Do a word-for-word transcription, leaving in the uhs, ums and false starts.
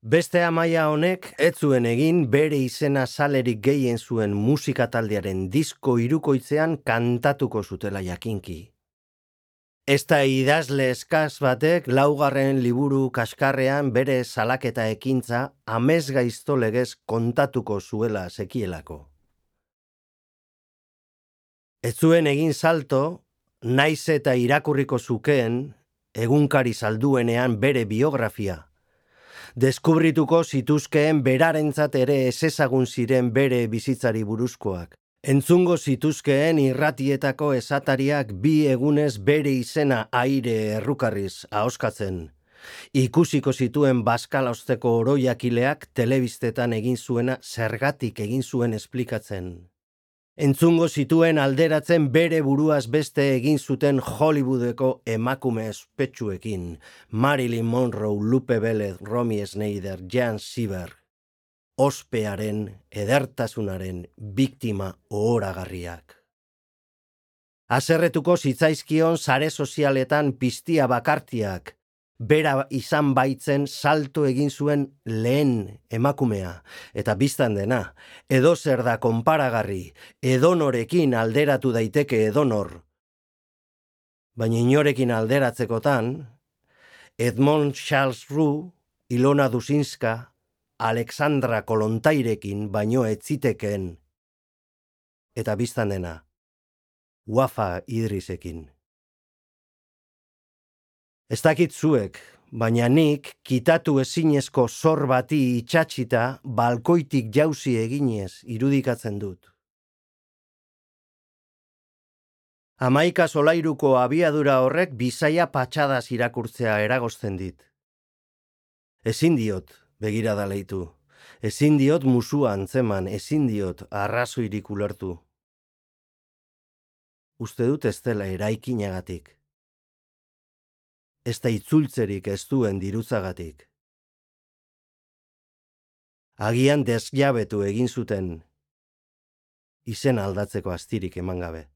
Beste amaia honek ez zuen egin bere izena salerik gehien zuen musika taldearen disko hirukoitzean kantatuko zutela jakinki. Ez da idazle eskaz batek laugarren liburu kaskarrean bere salaketa ekintza amesgaizto legez kontatuko zuela sekielako. Ez zuen egin salto, naiz eta irakurriko zukeen, egunkari salduenean bere biografia. Deskubrituko zituzkeen berarentzat ere ezezagun ziren bere bizitzari buruzkoak. Entzungo zituzkeen irratietako esatariak bi egunez bere izena aire errukarriz ahoskatzen. Ikusiko zituen bazkalausteko oroiakileak telebistetan egin zuena zergatik egin zuen esplikatzen. Entzungo zituen alderatzen bere buruaz beste egin zuten Hollywoodeko emakume ospetsuekin, Marilyn Monroe, Lupe Velez, Romy Schneider, Jan Sieber, ospearen, edertasunaren biktima ohoragarriak. Haserretuko zitzaizkion sare sozialetan piztia bakartiak, bera izan baitzen salto egin zuen lehen emakumea, eta biztan dena, edozer da konparagarri, edonorekin alderatu daiteke edonor. Baina inorekin alderatzekotan, Edmond Charles Roux, Ilona Dusinska, Alexandra Kolontairekin baino ez zitekeen, eta biztan dena, Wafa Idrisekin. Ez dakit zuek, baina nik kitatu ezinezko zor bati itxatxita balkoitik jauzi eginez irudikatzen dut. Hamaika solairuko abiadura horrek bizaia patxadaz irakurtzea eragozten dit. Ezin diot begirada leitu, ezin diot musua antzeman, ezin diot arrazoirik ulertu. Uste dut ez dela eraikinagatik. Ez da itzultzerik ez duen dirutzagatik. Agian desjabetu egin zuten izen aldatzeko astirik eman gabe.